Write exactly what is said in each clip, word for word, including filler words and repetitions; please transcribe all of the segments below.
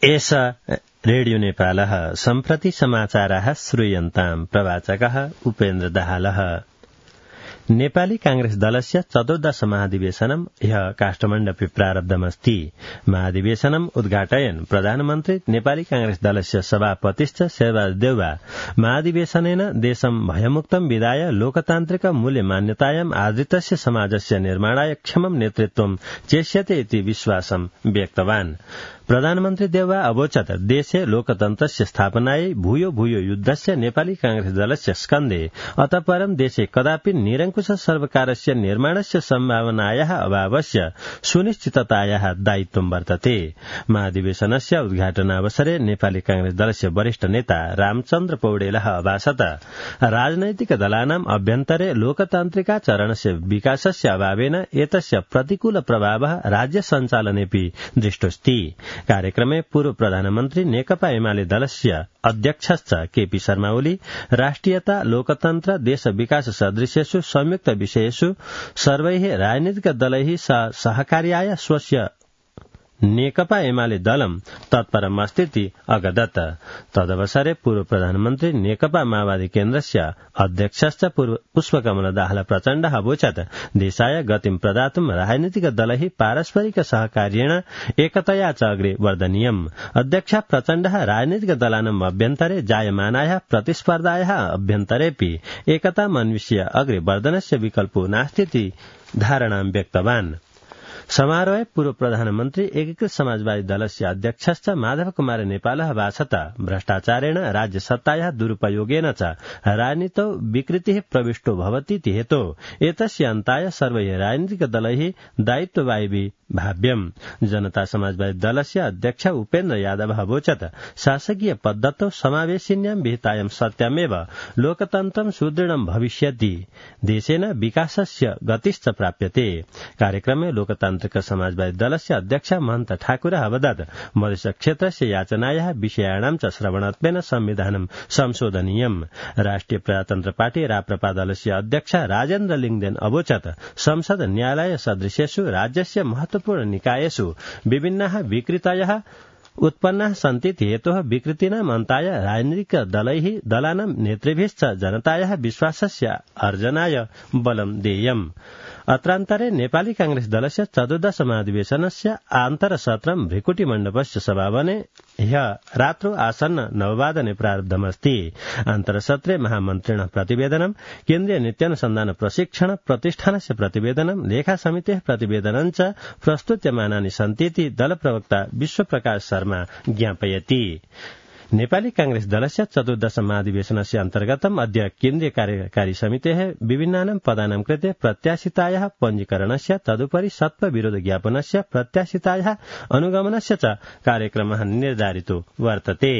एष रेडियो नेपालः सम्प्रति समाचाराः श्रूयन्ताम् प्रवाचकः उपेन्द्र दाहालः। नेपाली कांग्रेस दलस्य चतुर्दश महाधिवेशनम् ह्यः काष्ठमण्डपे प्रारब्धमस्ति। महाधिवेशनम् उद्घाटयन् प्रधानमन्त्री नेपाली कांग्रेस दलस्य सभापतिश्च शेरबहादुर देउवा महाधिवेशनेन देशं भयमुक्तं विधाय लोकतान्त्रिक मूल्यमान्यतायाम् आदृतस्य समाजस्य निर्माणाय क्षमं नेतृत्वं चेष्यते इति विश्वासं व्यक्तवान्। प्रधानमन्त्री देउवा अवोचत् देशे लोकतन्त्रस्य स्थापनायै भूयो भूयो युद्धस्य नेपाली कांग्रेस दलस्य स्कन्धे अतः परं देशे कदापि निरङ्कुश सर्वकारस्य निर्माणस्य सम्भावनायाः अभावस्य सुनिश्चिततायाः दायित्वं वर्तते। महाधिवेशनस्य उद्घाटनावसरे नेपाली कांग्रेस दलस्य वरिष्ठ नेता रामचन्द्र पौडेलः अभाषत राजनैतिक दलानाम् अभ्यन्तरे लोकतान्त्रिकाचरणस्य विकासस्य अभावेन एतस्य प्रतिकूल प्रभावः राज्य सञ्चालनेऽपि दृष्टोऽस्ति। कार्यक्रमे पूर्व प्रधानमन्त्री नेकपा एमाले दलस्य अध्यक्षश्च केपी शर्मा ओली राष्ट्रियता लोकतन्त्र देश विकास सदृशेषु संयुक्त विषयेषु सर्वैः राजनीतिक दलैः सहकार्याय स्वस्य नेकपा एमाले दलं तत्परम् अस्तीति अगदत्। तदवसरे पूर्व प्रधानमन्त्री नेकपा माओवादी केन्द्रस्य अध्यक्षश्च पुष्पकमल दाहाल प्रचण्डः अवोचत् देशाय गतिं प्रदातुं राजनीतिक दलैः पारस्परिक सहकार्येण एकतया च अग्रे वर्धनीयम्। अध्यक्ष प्रचण्डः राजनीतिक दलानाम् अभ्यन्तरे जायमानायाः प्रतिस्पर्धायाः अभ्यन्तरेऽपि एकतामन्विष्य अग्रे वर्धनस्य विकल्पो नास्तीति धारणां व्यक्तवान्। समारोहे पूर्व प्रधानमन्त्री एकीकृत समाजवादी दलस्य अध्यक्षश्च माधव कुमार नेपालः भाषत भ्रष्टाचारेण राज्य सत्तायाः दुरुपयोगेन च राजनीतौ विकृतिः प्रविष्टो भवतीति हेतोः एतस्य अन्ताय सर्वैः राजनीतिक दलैः दायित्ववाहिभिः भाव्यम्। जनता समाजवादी दलस्य अध्यक्ष उपेन्द्र यादव अवोचत् शासकीय पद्धतौ समावेशिन्यां विहितायां सत्यामेव लोकतन्त्रं सुदृढं भविष्यति देशेन विकासस्य गतिश्च प्राप्यते। कार्यक्रमे लोकतान्त्रिक समाजवादी दलस्य अध्यक्ष महन्त ठाकुरः अवदत् मधेस क्षेत्रस्य याचनायाः विषयाणां च श्रवणत्वेन संविधानं संशोधनीयम्। राष्ट्रिय प्रजातन्त्र पार्टी राप्रपा दलस्य अध्यक्ष राजेन्द्र लिङदेन अवोचत् संसद न्यायालय सदृशेषु राज्यस्य महत्वपूर्ण निकायेषु विभिन्नाः विकृतयः उत्पन्नाः सन्तीति हेतोः विकृतीनाम् अन्ताय राजनीतिक दलैः दलानां नेतृभिश्च जनतायाः विश्वासस्य अर्जनाय बलं देयम्। अत्रान्तरे नेपाली कांग्रेस दलस्य चतुर्दश महाधिवेशनस्य आन्तरसत्रं भृकुटी मण्डपस्य सभाभवने ह्यः रात्रौ आसन्न नववादने प्रारब्धमस्ति। आन्तरसत्रे महामन्त्रिणः प्रतिवेदनं केन्द्रीय नीत्यानुसन्धान प्रशिक्षण प्रतिष्ठानस्य प्रतिवेदनं लेखा समितेः प्रतिवेदनं च प्रस्तुत्यमानानि सन्तीति दलप्रवक्ता विश्वप्रकाश शर्मा ज्ञापयति। नेपाली कांग्रेस दलस्य चतुर्दश महाधिवेशनस्य अन्तर्गतम् अद्य केन्द्रीय कार्यकारी समितेः विभिन्नानां पदानां कृते प्रत्याशितायाः पञ्जीकरणस्य तदुपरि सत्त्वविरोध ज्ञापनस्य प्रत्याशितायाः अनुगमनस्य च कार्यक्रमः निर्धारितो वर्तते।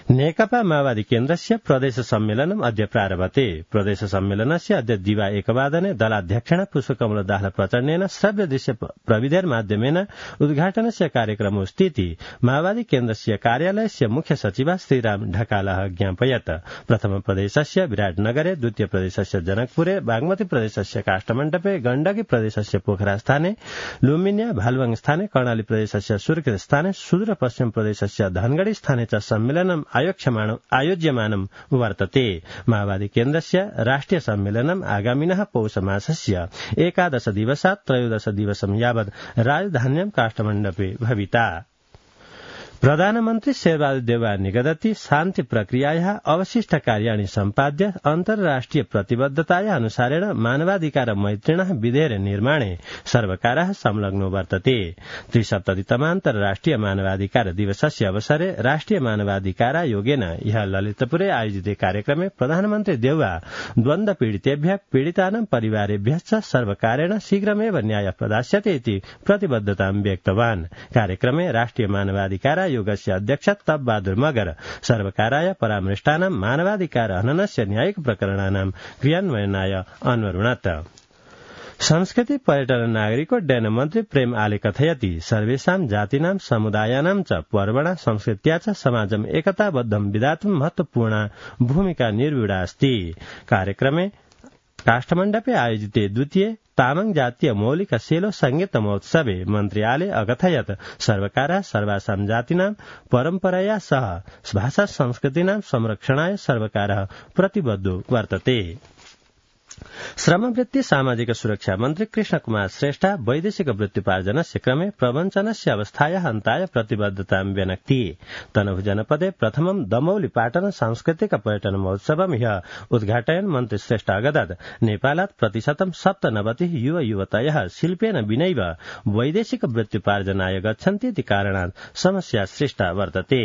नेकपा माओवादी केन्द्रस्य प्रदेश सम्मेलनम् अद्य प्रारभते। प्रदेश सम्मेलनस्य अद्य दिवा एकवादने दलाध्यक्षेण पुष्पकमल दाहाल प्रचण्डेन श्रव्य दृश्य प्रविधिर्माध्यमेन उद्घाटनस्य कार्यक्रमोऽस्तीति माओवादी केन्द्रस्य कार्यालयस्य मुख्य सचिव श्रीराम ढकालः ज्ञापयत्। प्रथम प्रदेशस्य विराटनगरे, द्वितीय प्रदेशस्य जनकपुरे, बागमती प्रदेशस्य काष्ठमण्डपे, गण्डकी प्रदेशस्य पोखरा स्थाने, लुम्बिनी भालुवाङ स्थाने, कर्णाली प्रदेशस्य सुर्खेत स्थाने, सुदूर पश्चिम प्रदेशस्य धनगढ़ी स्थाने च सम्मेलनम् आयोज्यमानं वर्तते। माओवादी केन्द्रस्य राष्ट्रिय सम्मेलनम् आगामिनः पौष मासस्य एकादश दिवसात् त्रयोदश दिवसं यावत् राजधान्यां काष्ठमण्डपे भविता। प्रधानमन्त्री शेरबहादुर देउवा निगदति शान्ति प्रक्रियायाः अवशिष्ट कार्याणि सम्पाद्य अन्तर्राष्ट्रिय प्रतिबद्धतायाः अनुसारेण मानवाधिकार मैत्रिणः विधेयर निर्माणे सर्वकारः संलग्नो वर्तते। त्रिसप्ततितमान्तर्राष्ट्रिय मानवाधिकार दिवसस्य अवसरे राष्ट्रिय मानवाधिकारायोगेन ह्यः ललितपुरे आयोजिते कार्यक्रमे प्रधानमन्त्री देउवा द्वन्द्व पीडितेभ्यः पीडितानां परिवारेभ्यश्च सर्वकारेण शीघ्रमेव न्याय प्रदास्यते इति प्रतिबद्धतां व्यक्तवान्। कार्यक्रमे राष्ट्रिय मानवाधिकार योगस्य अध्यक्ष तब बहादुर मगर सर्वकाराय परामृष्टानां मानवाधिकार हननस्य न्यायिक प्रकरणानां क्रियान्वयनाय अन्वरुणत। संस्कृति पर्यटन नागरिकोड्डयन मन्त्री प्रेम आले कथयति सर्वेषां जातीनां समुदायानां च पर्वणा संस्कृत्या च समाजम् एकताबद्धं विधातुं महत्वपूर्णा भूमिका निर्व्यूढा अस्ति। कार्यक्रमे काष्ठमण्डपे आयोजिते द्वितीय तामाङ जातीय मौलिक सेलो संगीत महोत्सवे मन्त्रियाले अकथयत् सर्वकारः सर्वासां जातीनां परम्परया सह भाषा संस्कृतीनां संरक्षणाय सर्वकारः प्रतिबद्धो वर्तते। श्रमवृत्ति सामाजिक सुरक्षा मन्त्री कृष्ण कुमार श्रेष्ठ वैदेशिक वृत्तिपार्जनस्य क्रमे प्रवञ्चनस्य अवस्थायाः अन्ताय प्रतिबद्धतां व्यनक्ति। तनहुँ जनपदे प्रथमं दमौली पाटन सांस्कृतिक पर्यटन महोत्सवं ह्यः उद्घाटयन् मन्त्री श्रेष्ठ अगदत् नेपालात् प्रतिशतं सप्तनवतिः युव युवतयः शिल्पेन विनैव वैदेशिक वृत्तिपार्जनाय गच्छन्ति इति कारणात् समस्या सृष्टा वर्तते।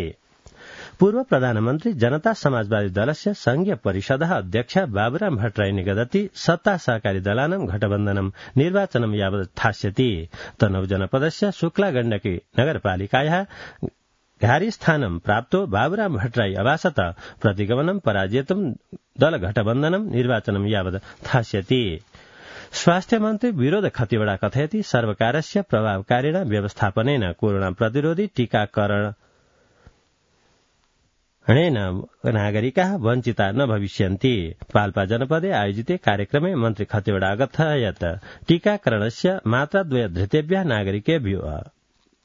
पूर्व प्रधानमन्त्री जनता समाजवादी दलस्य संघीय परिषदः अध्यक्ष बाबुराम भट्टराई निगदति सत्ता सहकारी दलानां घटबन्धनं निर्वाचनं यावत् स्थास्यति। तनहुँ जनपदस्य शुक्ला गण्डकी नगरपालिकायाः घारी स्थानं प्राप्तो बाबुराम भट्टराई अभासत प्रतिगमनं पराजेतुं दल घटबन्धनं निर्वाचनं यावत् स्थास्यति। स्वास्थ्य मन्त्री विनोद खतिवड़ा कथयति सर्वकारस्य प्रभावकारिणा व्यवस्थापनेन कोरोना प्रतिरोधी टीकाकरण णेन नागरिकाः वञ्चिता न भविष्यन्ति। पाल्पा जनपदे आयोजिते कार्यक्रमे मन्त्री खतिवड़ा अकथयत् टीकाकरणस्य मात्राद्वय धृतेभ्यः नागरिकेभ्यः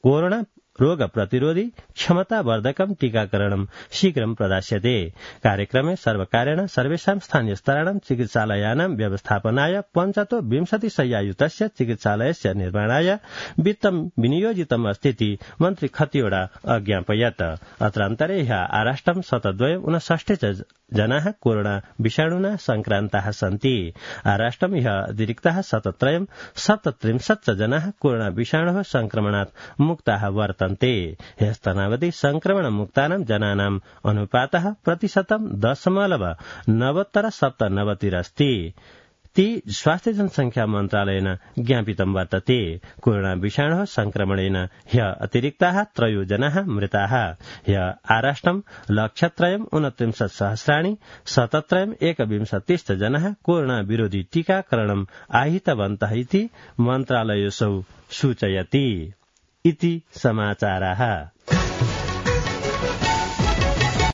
कोरोना रोग प्रतिरोधी क्षमतावर्धकं टीकाकरणं शीघ्रं प्रदास्यते। कार्यक्रमे सर्वकारेण सर्वेषां स्थानीय स्तराणां चिकित्सालयानां व्यवस्थापनाय पञ्चतो विंशति शय्यायुतस्य चिकित्सालयस्य निर्माणाय वित्तं विनियोजितम् अस्तीति मन्त्री खतिवड़ा अज्ञापयत्। अत्रान्तरे ह्यः आराष्ट्रं शतद्वय ऊनषष्टि च जनाः कोरोना विषाणुना संक्रान्ताः सन्ति। आराष्ट्रं ह्यः अतिरिक्ताः शतत्रयं सप्तत्रिंशत् च जनाः कोरोना विषाणोः संक्रमणात् मुक्ताः वर्तन्ते। ह्यस्तनावधि संक्रमण मुक्तानां जनानाम् अनुपातः प्रतिशतं दशमलव नवोत्तर सप्तनवतिरस्ति। ती स्वास्थ्य जनसंख्या मन्त्रालयेन ज्ञापितं वर्तते। कोरोना विषाणोः संक्रमणेन ह्यः अतिरिक्ताः त्रयो जनाः मृताः। ह्यः आराष्ट्रं लक्षत्रयम् ऊनत्रिंशत् सहस्राणि शतत्रयम् एकविंशतिश्च जनाः कोरोना विरोधी टीकाकरणम् आहितवन्तः इति मन्त्रालयोऽसौ सूचयति। इति समाचाराः।